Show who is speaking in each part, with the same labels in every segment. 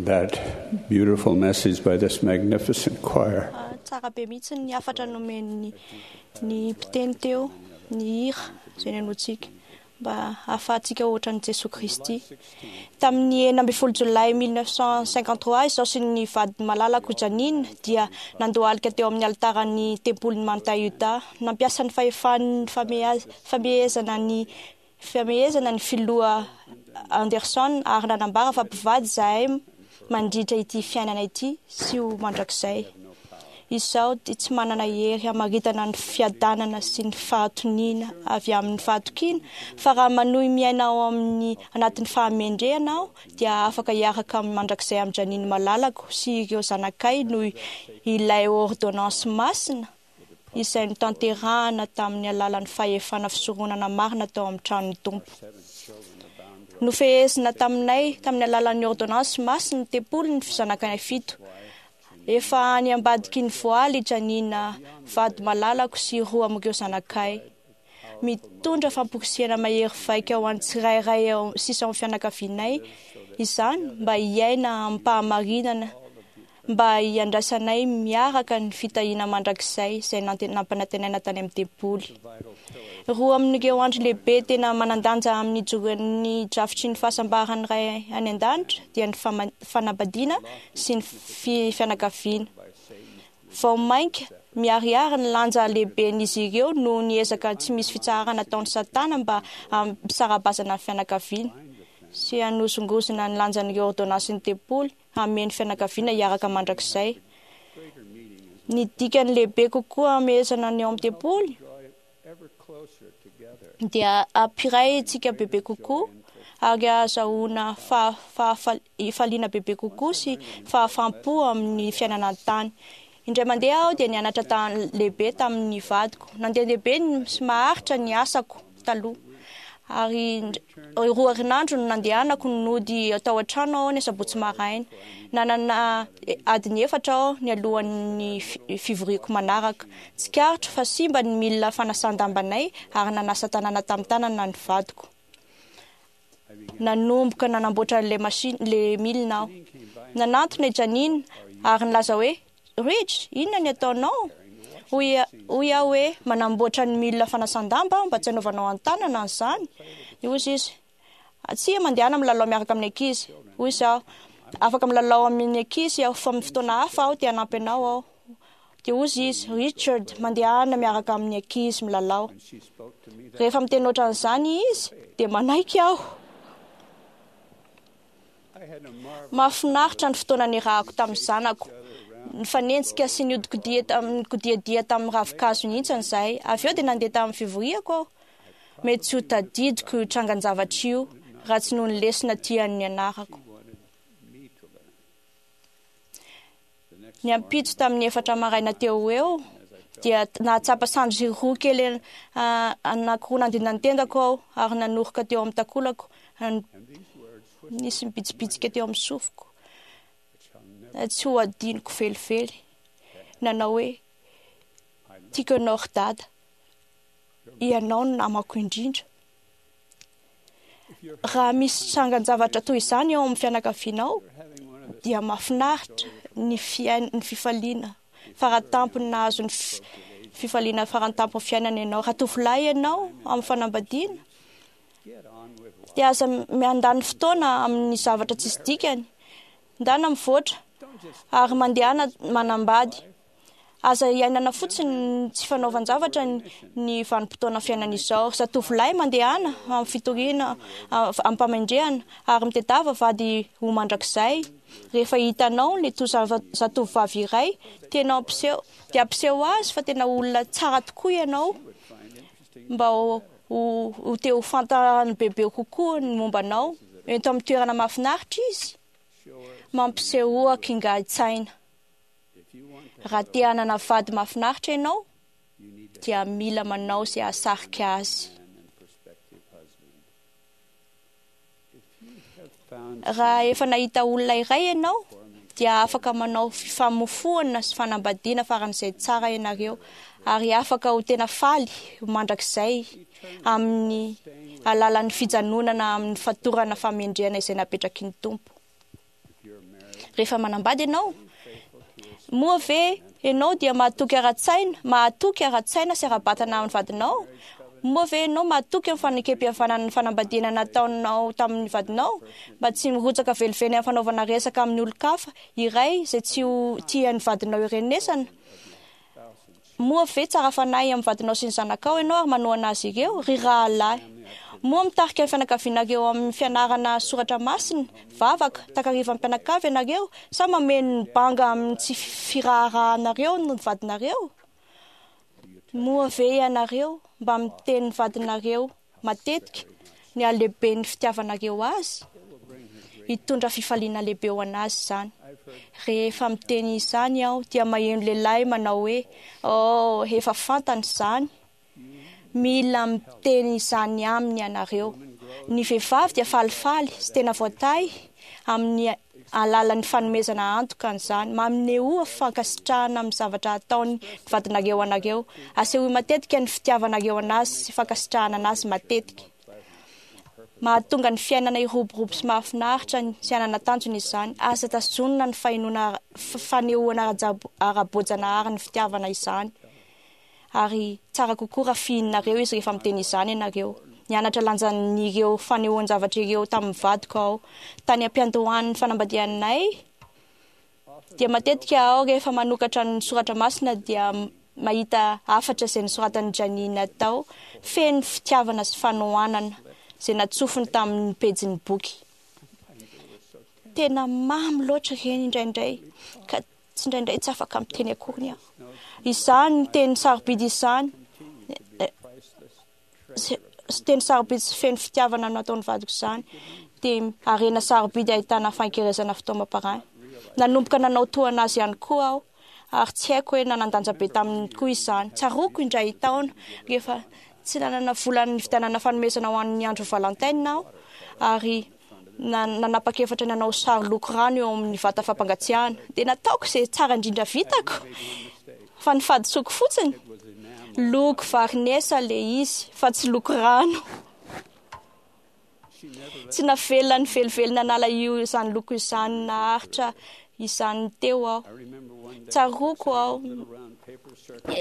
Speaker 1: That beautiful message by this magnificent choir.
Speaker 2: Tsara be mihitsy ny hafatra nomen'ny ny mpiteny teo, ny hira izay nenointsika mba hahafahantsika ohatran'i Jesoa Kristy. Tamin'ny 16 jolay 1953 izaho sy ny vadiny malalako Janine dia nandohalika teo amin'ny alitaran'ny tempolin'i Manta Utah. Nampiasa ny fahefan'ny famehezana ny Famehezana ny filoha Anderson ary nanambara fa mpivady izahay mandritra ity fiainana ity sy ho mandrakizay. Izaho dia tsy manana hery hamaritana ny fiadanana sy ny fahatoniana avy amin'ny fahatokiana fa raha manohy miaina ao amin'ny anatin'ny fahamendrehana aho dia afaka hiaraka mandrakizay amin'i Janine malalako sy ireo zanakay noho ilay ôrdônansy masina izay notanterahana tamin'ny alalan'ny fahefana fisoronana marina tao amin'ny tranon'ny Tompo. Nofehezina taminay tamin'ny alalan'ny ôrdônansy masin'ny tempoly ny zanakanay fito. Efa any ambadiky ny voaly i Janina vady malalako sy roa amin'ireo zanakay. Mitondra famporisihana mahery vaika ho an'ny tsirairay sisa ao amin'ny fianakavianay izany mba hiaina amim-pahamarinana mba hiandrasanay miaraka ny fitahiana mandrakizay izay nampanantenaina tany amin'ny tempoly. Roa amin'ireo andro lehibe tena manan-danja amin'ny ijoroan'ny drafitry ny fahasambaran'ny Ray any An-danitra dia ny fanambadiana sy ny fianakaviana. Vao mainka miharihary ny lanja lehiben'izy ireo noho ny ezaka tsy misy fitsaharana ataon'i Satana mba hampisara-bazana ny fianakaviana sy hanozongozona ny lanjan'ireo ôrdônansin'ny tempoly hamehy ny fianakaviana hiaraka mandrakizay. Ny dikany lehibe kokoa hamehezana ny ao amin'ny tempoly dia hampiray antsika bebe kokoa ary hahazahoana fahafaliana bebe kokoa sy fahafaham-po amin'ny fiainana an-tany. Indray mandeha aho dia nianatra lehibe tamin'ny vadiko. Nandehandeha be sy maharitra ny asako taloha. Ary roa herinandro no nandehanako nody tao an-trano aho ny asabotsy maraina. Nanana adiny efatra aho nialohan'ny fivoriako manaraka. Tsikaritro fa simba ny milina fanasan-dambanay ary nanasa tanàna tamin'ny tanana ny vadiko. Nanomboka nanamboatra an'ilay machine, ilay milina aho. Nanantona i Janine ary nilaza hoe, Rich, inona ny ataonao? Hoy, hoy aho hoe, Manamboatra ny milina fanasan-damba aho mba tsy hanaovanao an-tanana an'izany. Hoy izy, Tsia, mandehana milalao miaraka amin'ny ankizy. Hoy izaho, Afaka milalao amin'ny ankizy aho fa amin'ny fotoana hafa aho te hanampy anao aho. Dia hoy izy, Richard, mandehana miaraka amin'ny ankizy milalao. Rehefa miteny ohatran'izany izy, dia manaiky aho. Mahafinaritra ny fotoana niarahako tamin'ny zanako. Nifanenjika sy nihodikodiadia tamin'ny ravinkazo nihintsana izahay. Avy eo dia nandeha tamin'ny fivoriako aho. Mety tsy ho tadidiko io trangan-javatra io raha tsy noho ny lesona tiany nianarako. Ny ampitso tamin'ny efatra maraina teo ho eo dia nahatsapa sandry roa kely anankiroa nandina ny tendako aho ary nanoroka teo amin'ny takolako. Nisy nibitsibitsika teo amin'ny sofiko. Tsy ho adinoko velively. Nanao hoe, Tiako ianao ry Dada. Ianao no namako indrindra. Raha misy trangan-javatra toy izany eo amin'ny fianakavianao, dia mahafinaritra ny fiain- ny fifaliana faratampony nahazo ny fifaliana farantampon'ny fiainana ianao. Raha tovolahy ianao amin'ny fanambadiana, dia aza miandany fotoana amin'ny zavatra tsisy dikany. Ndana mivoatra ary mandehana manambady. Aza iainana fotsiny ny tsy fanaovan-javatra ny vanim-potoana fiainana izao. Ry zatovolahy, mandehana amin'ny fitoriana amim-pamendrehana ary mitedava vady ho mandrakizay. Rehefa hitanao ny zatovovavy iray tianao hampiseho, dia ampiseho azy fa tena olona tsara tokoa ianao mba ho te ho fantany bebe kokoa ny momba anao. Ento amin'ny toerana mahafinaritra izy. Mampisehoa kingahin-tsaina. Raha te hanana vady mahafinaritra ianao, dia mila manao izay hahasarika azy. Raha efa nahita olona iray ianao, dia afaka manao fifamofoana sy fanambadiana faran'izay tsara ianareo, ary afaka ho tena faly mandrakizay amin'ny alalan'ny fijanonana amin'ny fatorana fahamendrehana izay napetraky ny Tompo. Rehefa manambady ianao, moa ve ianao dia mahatoky ara-tsaina, mahatoky ara-tsaina sy ara-batana amin'ny vadinao? Moa ve ianao mahatoky amin'ny fanekem-pihavanana ny fanambadiana nataonao tamin'ny vadinao, mba tsy mirotsaka velively amin'ny fanaovana resaka amin'ny olon-kafa iray izay tsy ho tian'ny vadinao hirenesana? Moa ve tsara fanahy amin'ny vadinao sy ny zanakao ianao ary manohana azy ireo, ry rahalahy? Moa mitarika ny fianakavianareo amin'ny fianarana soratra masina, vavaka, takarivan'ny mpianakavy ianareo, sa mameno ny banga amin'ny tsy firaharahanareo ny vadinareo? Moa ve ianareo mba miteny ny vadinareo matetika ny halehiben'ny fitiavanareo azy? Hitondra fifaliana lehibe ho an'azy izany. Rehefa miteny izany aho dia maheno lehilahy manao hoe, Oh, efa fantany izany. Mila miteny izany aminy ianareo. Ny vehivavy dia falifaly sy tena voatahy amin'ny alalan'ny fanomezana antoka an'izany. Manehoa fankasitrahana amin'ny zavatra ataon'ny vadinareo anareo. Asehoy matetika ny fitiavanareo an'azy sy fankasitrahana an'azy matetika. Mahatonga ny fiainana hiroborobo sy mahafinaritra sy hanana tanjona izany. Aza tazonina ny fahenoana fanehoana ara-boajanahary ny fitiavana izany. Ary tsara kokoa raha fihininareo izy rehefa miteny izany ianareo. Nianatra lanjan'ireo fanehoan-javatra ireo tamin'ny vadiko aho. Tany am-piandohan'ny fanambadianay, dia matetika aho rehefa manokatra ny soratra masina dia mahita hafatra izay nosoratan'i Janina tao, feno fitiavana sy fanohanana, izay natsofony tamin'ny pejin'ny boky. Tena mamy loatra ireny indraindray, ka Tsindraindray tsy afaka miteny akoriny aho. Izany teny sarobidy izany, sy teny sarobidy sy feno fitiavana no nataon'ny vadiko izany, dia harena sarobidy ahitana fankerezana fitaomam-panahy. Nanomboka nanao toa azy ihany koa aho, ary tsy haiko hoe nanan-danja be taminy koa izany. Tsaroako indray taona, rehefa tsy nanana vola nividianana fanomezana ho an'ny andro Valentine aho, ary nanapa-kevitra ny hanao sary loko rano eo amin'ny vata fampangatsiahana. Dia nataoko izay tsara indrindra vitako, fa ny fahadisoako fotsiny, loko varinesa ilay izy fa tsy loko rano. Tsy navelany velively nanala io izany loko izany naharitra izany teo aho. Tsaroako aho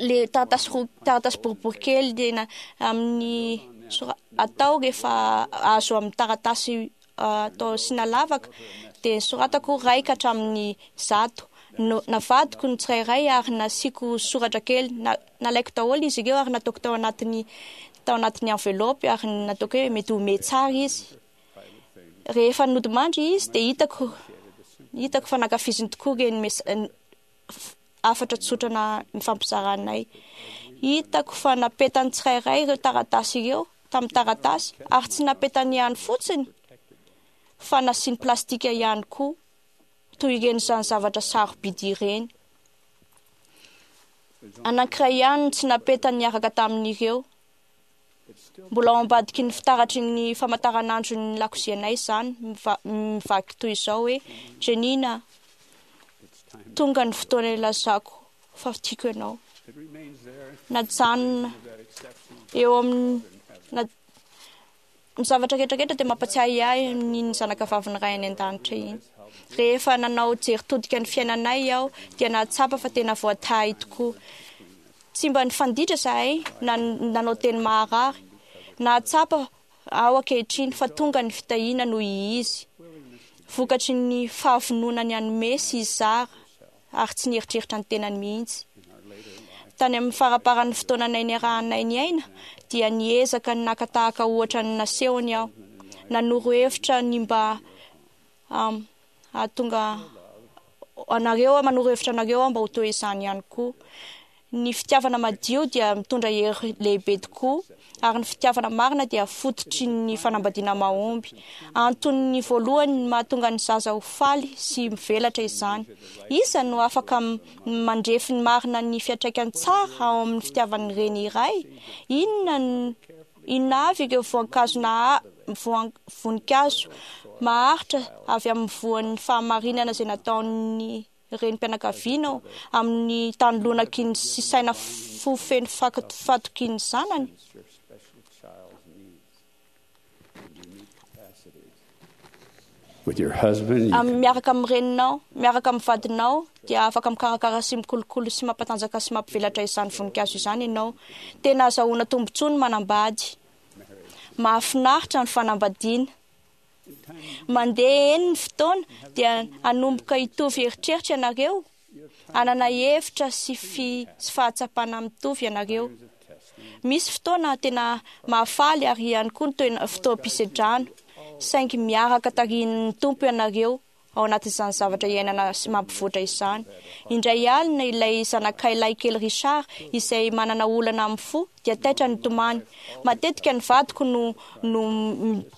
Speaker 2: le taratasy roa taratasy boribory kely tena amin'ny atao rehefa azo amin'ny taratasy atao asiana lavaka dia soratako iray ka hatramin'ny zato. Navadiko ny tsirairay ary nasiako soratra kely. Nalaiko daholo izy ireo ary nataoko tao anatin'ny tao anatin'ny enveloppe ary nataoko hoe mety ho mety tsara izy. Rehefa nodimandry izy dia hitako hitako fa nankafiziny tokoa ireny hafatra tsotra na nifampizaranay. Hitako fa napetany tsirairay ireo taratasy ireo tamin'ny taratasy ary tsy napetany ihany fotsiny fa nasiany plastika ihany koa toy ireny izany zavatra sarobidy ireny. Anankiray ihany no tsy napetany niaraka tamin'ireo. Mbola ao ambadiky ny fitaratry ny famantaranandron'ny lakozianay izany, mivaky toy izao hoe, Jenina, tonga ny fotoana ilazako fa tiako ianao. Najanona eo amin'ny ny zavatra rehetra rehetra dia mampatsiahy ahy ny zanakavavin'ny Ray any An-danitra iny. Rehefa nanao jery todika ny fiainanay aho dia nahatsapa fa tena voatahy tokoa. Tsy mba nifanditra izahay na nanao teny maharary. Nahatsapa aho ankehitriny fa tonga ny fitahiana noho Izy, vokatry ny fahavononany hanome sy hizara ary tsy nieritreritra ny tenany mihitsy. Tany amin'ny faramparan'ny fotoananay niarahanay niaina dia niezaka ny naka tahaka ohatra ny nasehony aho. Nanoro hevitra ny mba hahatonga anareo aho, manoro hevitra anareo aho mba ho toy izany ihany koa. Ny fitiavana madio dia mitondra hery lehibe tokoa, ary ny fitiavana marina dia fototry ny fanambadiana mahomby. Antony voalohany mahatonga ny zaza ho faly sy mivelatra izany. Iza no afaka mandrefy ny marina ny fiantraikany tsara ao amin'ny fitiavan'ny reny iray? Inona Inona avy ireo voankazo voninkazo maharitra avy amin'ny voan'ny fahamarinana izay nataon'ny renim-pianakaviana amin'ny tany lonaky ny sy saina fo feno fatokian'ny zanany?
Speaker 1: With your husband, you
Speaker 2: Am- Miaraka amin'ny reninao, miaraka amin'ny vadinao, dia afaka mikarakara sy mikolokolo sy mampatanjaka sy mampivelatra izany voninkazo izany ianao. Tena azahoana tombontsoa ny manambady. Mahafinaritra ny fanambadiana. Mandeha eny ny fotoana dia hanomboka hitovy eritreritra ianareo, hanana hevitra sy fi sy fahatsapana mitovy ianareo. Misy fotoana tena mahafaly ary ihany koa ny toena- fotoam-pisedrana, saingy miaraka tarihin'ny Tompo ianareo ao anatin'izany zavatra iainana sy mampivoatra izany. Indray alina ilay zanakay lahikely Richard izay manana olana amin'ny fo dia taitra nitomany. Matetika ny vadiko no no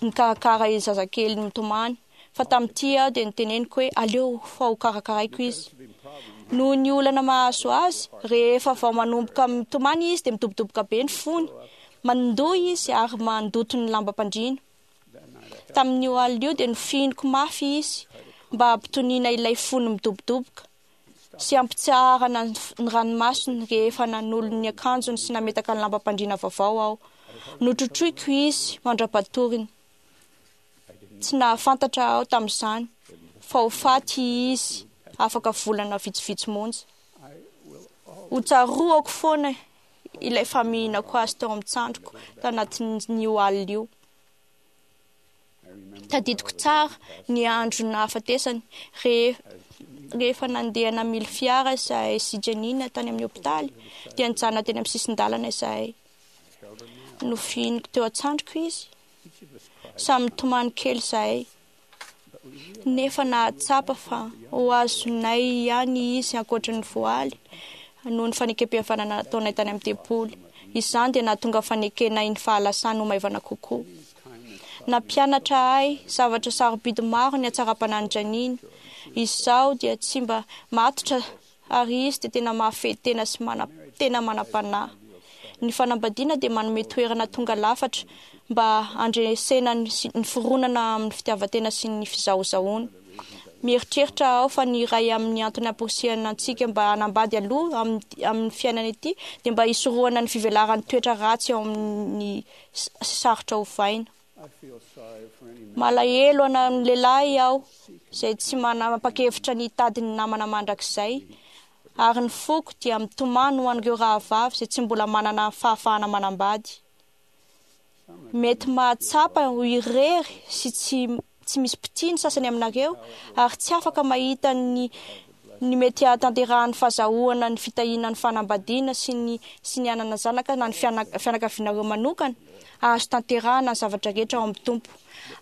Speaker 2: mikarakara io zazakely mitomany fa tamin'ity aho dia noteneniko hoe aleo fa ho karakaraiko izy. Noho ny olana mahazo azy, rehefa vao manomboka mitomany izy dia midobodoboka be ny fony. Mandoa izy ary mandoto ny lambam-pandriana. Tamin'io alina io dia nofihiniko mafy izy mba hampitoniana ilay fony midobodoboka sy hampitsaharana ny ranomasony rehefa nanolo ny akanjony sy nametaka ny lambam-pandriana vaovao aho. Notrotroiko izy mandra-patoriny. Tsy nahafantatra aho tamin'izany fa ho faty izy afaka volana vitsivitsy monja. Hotsaroako foana ilay famihinako azy teo amin'ny tsandriko tanatin'io alina io. Tadidiko tsara ny andro nahafatesany, rehefa nandeha namily fiara izahay sy Janina tany amin'ny hopitaly, dia nijanona teny amin'ny sisin-dalana izahay. Nofihiniko teo an-tsandriko izy. Samy nitomany kely izahay. Nefa nahatsapa fa ho azonay ihany izy ankoatry ny voaly, noho ny fanekempihavanana nataonay tany amin'ny tempoly. Izany dia nahatonga fanekenay ny fahalasany ho maivana kokoa. Nampianatra ahy zavatra sarobidy maro ny hatsaram-panahin'i Janina. Izaho dia tsy mba matotra ary izy dia tena mahafehy tena sy mana, tena manam-panahy. Ny fanambadiana dia manome toerana tonga lafatra mba handresena ny, ny fironana amin'ny fitiavan-tena sy ny fizahozahoana. Mieritreritra aho fa ny iray amin'ny antony amporisihana antsika mba hanambady aloha amin'ny, amin'ny fiainana ity dia mba hisorohana ny fivelaran'ny toetra ratsy ao amin'ny sy sarotra ovaina. Malahelo an'ny lehilahy aho izay tsy manapa-kevitra ny hitady ny namana mandrakizay, ary ny foko dia mitomany ho an'ireo rahavavy izay tsy mbola manana fahafahana manambady. Mety mahatsapa ho irery sy tsy tsy misy mpitia ny sasany aminareo ary tsy afaka mahita ny ny mety hahatanterahan'ny fahazahoana ny fitahiana ny fanambadiana sy ny sy ny hanana zanaka na ny fianakavianareo manokana, azo tanterahana ny zavatra rehetra ao amin'ny Tompo.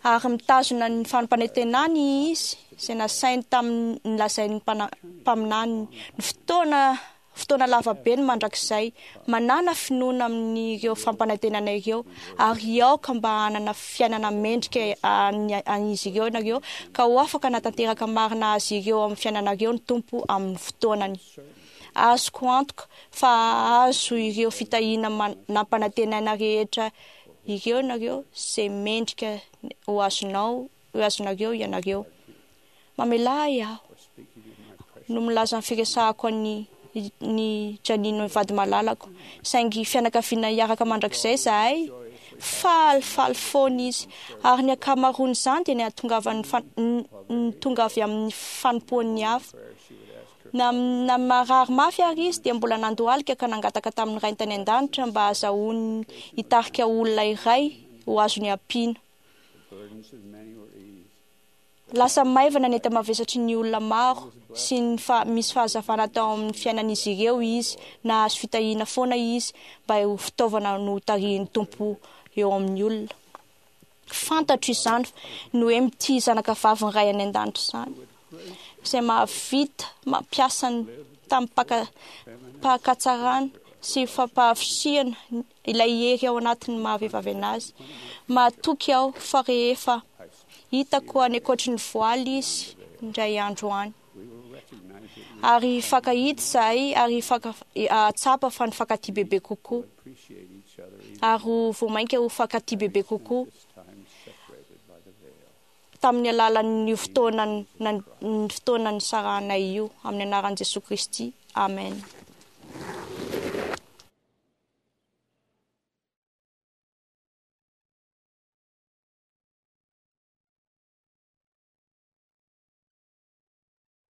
Speaker 2: Ary mitazona ny fampanantenany Izy izay nasainy tamin'ny nolazain'ny mpaminaniny ny fotoana fotoana lava be ny mandrakizay. Manàna finoana amin'ireo fampanantenana ireo, ary aoka mba hanana fiainana mendrika an'izy ireo ianareo, ka ho afaka hanatanteraka marina azy ireo amin'ny fiainanareo ny Tompo amin'ny fotoanany. Azoko antoka fa hahazo ireo fitahiana nampanantenaina rehetra ireo ianareo, izay mendrika ho azonao, ho azonareo ianareo. Mamelà ahy aho no milaza ny firesahako an'i ny Janine vady malalako. Saingy fianakaviana hiaraka mandrakizay izahay. Falifaly foana izy. Ary ny ankamaroan'izany dia ny hahatongavan'ny ny tonga avy amin'ny fanompoan'ny hafa. Na, na marary mafy ary izy dia mbola nandohalika ka nangataka tamin'ny Rainy tany an-danitra mba hahazahoany hitarika olona iray ho azony ampiana. Lasa maivana ny enta-mavesatry ny olona maro sy ny fa misy fahazavana tao amin'ny fiainan'izy ireo izy, nahazo fitahiana foana izy mba ho fitaovana notarihin'ny Tompo eo amin'ny olona. Fantatro izany ny hoe mitia zanaka vavin'ny Ray any An-danitra izany, izay mahavita mampiasa ny tamim-pakatsarana sy fampahavitrihana ilay hery ao anatin'ny maha-vehivavy an'azy. Mahatoky aho fa rehefa Hitako any ankoatry ny voaly izy indray andro any. Ary hifankahita izahay ary hahatsapa fa nifankatia bebe kokoa. Ary ho vao mainka ho fankatia bebe kokoa tamin'ny alalan'io fotoana ny fotoana nisarahanay io. Amin'ny anaran'i Jesoa Kristy. Amen.